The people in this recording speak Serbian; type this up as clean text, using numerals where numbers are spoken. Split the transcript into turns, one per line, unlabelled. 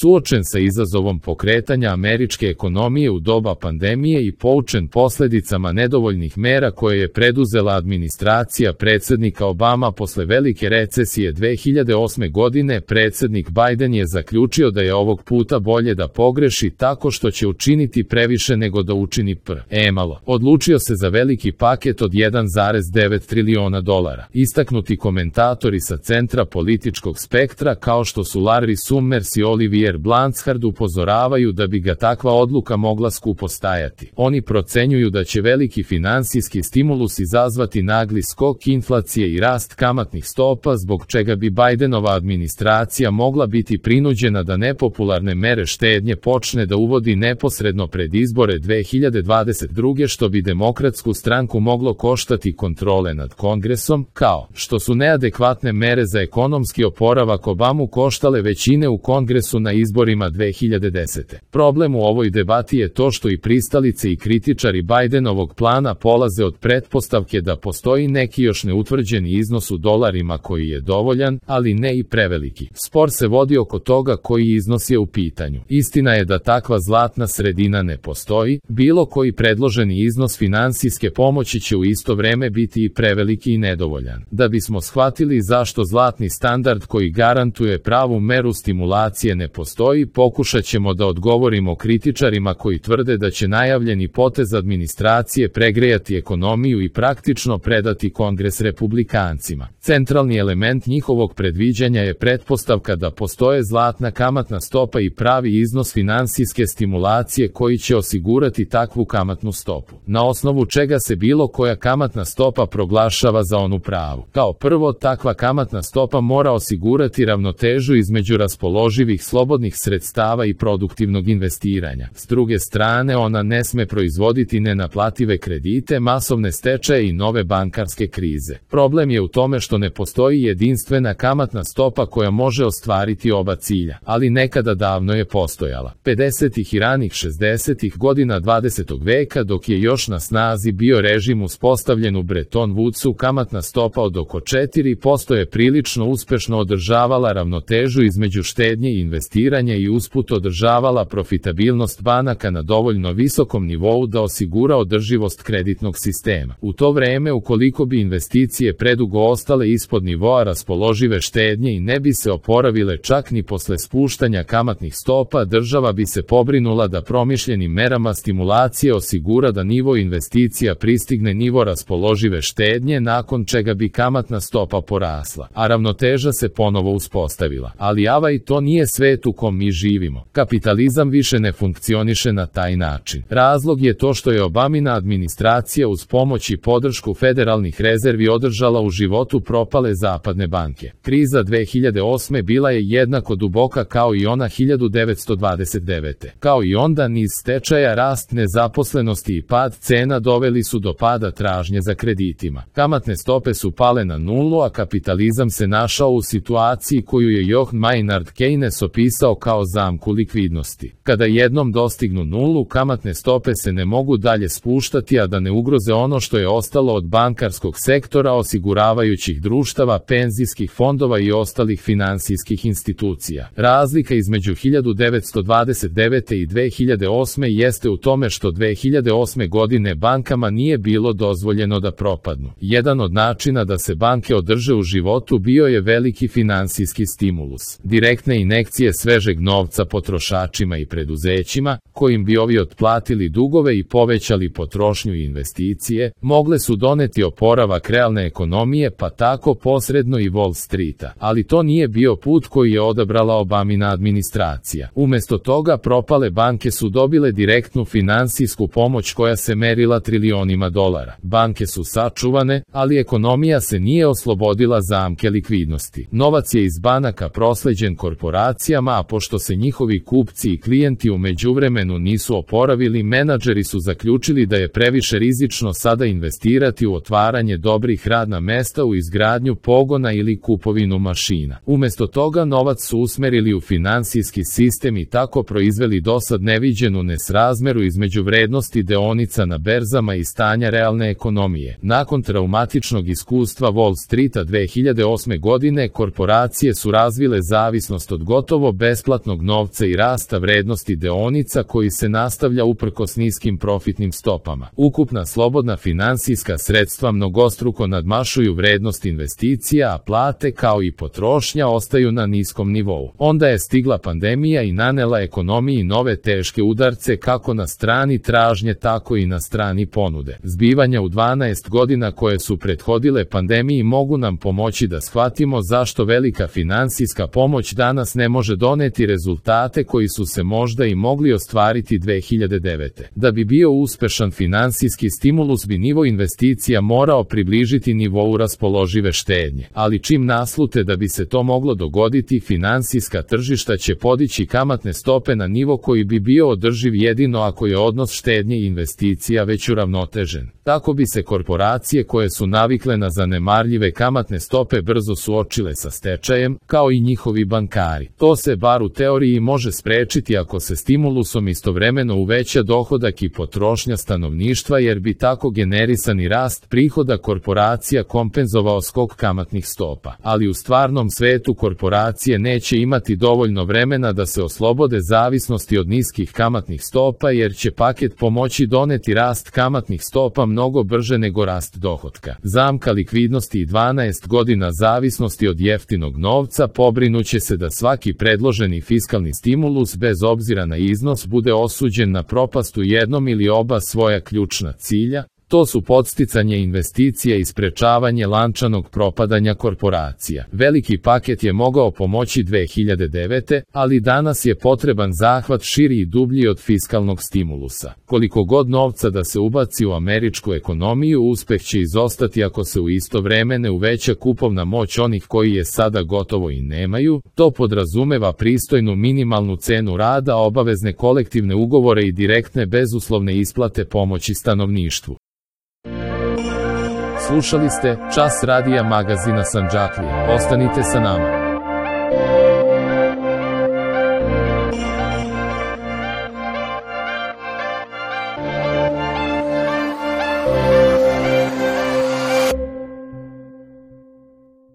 Suočen sa izazovom pokretanja američke ekonomije u doba pandemije i poučen posljedicama nedovoljnih mera koje je preduzela administracija predsjednika Obama posle velike recesije 2008. godine, predsjednik Biden je zaključio da je ovog puta bolje da pogreši tako što će učiniti previše nego da učini malo. Odlučio se za veliki paket od 1,9 triliona dolara. Istaknuti komentatori sa centra političkog spektra kao što su Larry Summers i Olivier Blanchard upozoravaju da bi ga takva odluka mogla skupo stajati. Oni procenjuju da će veliki finansijski stimulus izazvati nagli skok inflacije i rast kamatnih stopa, zbog čega bi Bidenova administracija mogla biti prinuđena da nepopularne mere štednje počne da uvodi neposredno pred izbore 2022. što bi demokratsku stranku moglo koštati kontrole nad Kongresom, kao što su neadekvatne mere za ekonomski oporavak Obamu koštale većine u Kongresu na izborima 2010. Problem u ovoj debati je to što i pristalice i kritičari Bidenovog plana polaze od pretpostavke da postoji neki još neutvrđeni iznos u dolarima koji je dovoljan, ali ne i preveliki. Spor se vodi oko toga koji iznos je u pitanju. Istina je da takva zlatna sredina ne postoji, bilo koji predloženi iznos finansijske pomoći će u isto vreme biti i preveliki i nedovoljan. Da bismo shvatili zašto zlatni standard koji garantuje pravu meru stimulacije ne postoji, pokušat ćemo da odgovorimo kritičarima koji tvrde da će najavljeni potez administracije pregrejati ekonomiju i praktično predati Kongres republikancima. Centralni element njihovog predviđanja je pretpostavka da postoje zlatna kamatna stopa i pravi iznos finansijske stimulacije koji će osigurati takvu kamatnu stopu, na osnovu čega se bilo koja kamatna stopa proglašava za onu pravu. Kao prvo, takva kamatna stopa mora osigurati ravnotežu između raspoloživih slobodnih sredstava i produktivnog investiranja. S druge strane, ona ne sme proizvoditi nenaplative kredite, masovne stečaje i nove bankarske krize. Problem je u tome što ne postoji jedinstvena kamatna stopa koja može ostvariti oba cilja, ali nekada davno je postojala. 50. i ranih 60. godina 20. veka, dok je još na snazi bio režim uspostavljen u Bretton Woodsu, kamatna stopa od oko 4% je prilično uspešno održavala ravnotežu između štednje i investiranja i usput održavala profitabilnost banaka na dovoljno visokom nivou da osigura održivost kreditnog sistema. U to vreme, ukoliko bi investicije predugo ostale ispod nivoa raspoložive štednje i ne bi se oporavile čak ni posle spuštanja kamatnih stopa, država bi se pobrinula da promišljenim merama stimulacije osigura da nivo investicija pristigne nivo raspoložive štednje, nakon čega bi kamatna stopa porasla, a ravnoteža se ponovo uspostavila. Ali i to nije svet u kom mi živimo. Kapitalizam više ne funkcioniše na taj način. Razlog je to što je Obamina administracija uz pomoć i podršku federalnih rezervi održala u životu propale zapadne banke. Kriza 2008. bila je jednako duboka kao i ona 1929. Kao i onda, niz stečaja, rast nezaposlenosti i pad cena doveli su do pada tražnje za kreditima. Kamatne stope su pale na nulu, a kapitalizam se našao u situaciji koju je Johann Maynard Keynes opisao kao zamku likvidnosti. Kada jednom dostignu nulu, kamatne stope se ne mogu dalje spuštati, a da ne ugroze ono što je ostalo od bankarskog sektora, osiguravajućih društava, penzijskih fondova i ostalih finansijskih institucija. Razlika između 1929. i 2008. jeste u tome što 2008. godine bankama nije bilo dozvoljeno da propadnu. Jedan od načina da se banke održe u životu bio je veliki finansijski stimulus. Direktne injekcije svežeg novca potrošačima i preduzećima, kojim bi ovi otplatili dugove i povećali potrošnju i investicije, mogle su doneti oporavak realne ekonomije, pa tako posredno i Wall Streeta. Ali to nije bio put koji je odabrala Obamina administracija. Umesto toga, propale banke su dobile direktnu finansijsku pomoć koja se merila trilionima dolara. Banke su sačuvane, ali ekonomija se nije oslobodila zamke likvidnosti. Novac je iz banaka prosleđen korporacijama, a pošto se njihovi kupci i klijenti u međuvremenu nisu oporavili, menadžeri su zaključili da je previše rizično sada investirati u otvaranje dobrih radna mesta, u izgradnju pogona ili kupovinu mašina. Umesto toga, novac su usmerili u finansijski sistem i tako proizveli dosad neviđenu nesrazmeru između vrednosti deonica na berzama i stanja realne ekonomije. Nakon traumatičnog iskustva Wall Streeta 2008. godine, korporacije su razvile zavisnost od gotovo besplatnog novca i rasta vrednosti deonica koji se nastavlja uprkos niskim profitnim stopama. Ukupna slobodna finansijska sredstva mnogostruko nadmašuju vrednost investicija, a plate kao i potrošnja ostaju na niskom nivou. Onda je stigla pandemija i nanela ekonomiji nove teške udarce kako na strani tražnje, tako i na strani ponude. Zbivanja u 12 godina koje su prethodile pandemiji mogu nam pomoći da shvatimo zašto velika finansijska pomoć danas ne može doneti rezultate koji su se možda i mogli ostvariti 2009. Da bi bio uspešan finansijski stimulus bi nivo investicija morao približiti nivou raspoložive štednje, ali čim naslute da bi se to moglo dogoditi, finansijska tržišta će podići kamatne stope na nivo koji bi bio održiv jedino ako je odnos štednje i investicija već uravnotežen. Tako bi se korporacije koje su navikle na zanemarljive kamatne stope brzo suočile sa stečajem, kao i njihovi bankari. To se bar u teoriji može sprečiti ako se stimulusom istovremeno uveća dohodak i potrošnja stanovništva, jer bi tako generisani rast prihoda korporacija kompenzovao skok kamatnih stopa. Ali u stvarnom svetu korporacije neće imati dovoljno vremena da se oslobode zavisnosti od niskih kamatnih stopa, jer će paket pomoći doneti rast kamatnih stopa mnogo brže nego rast dohotka. Zamka likvidnosti i 12 godina zavisnosti od jeftinog novca pobrinuće se da svaki predloženi fiskalni stimulus bez obzira na iznos bude osuđen na propast u jednom ili oba svoja ključna cilja. To su podsticanje investicija i sprečavanje lančanog propadanja korporacija. Veliki paket je mogao pomoći 2009. ali danas je potreban zahvat širi i dublji od fiskalnog stimulusa. Koliko god novca da se ubaci u američku ekonomiju, uspeh će izostati ako se u isto vreme ne uveća kupovna moć onih koji je sada gotovo i nemaju. To podrazumeva pristojnu minimalnu cenu rada, obavezne kolektivne ugovore i direktne bezuslovne isplate pomoći stanovništvu. Slušali ste Čas radija magazina Sandžaklija. Ostanite sa nama.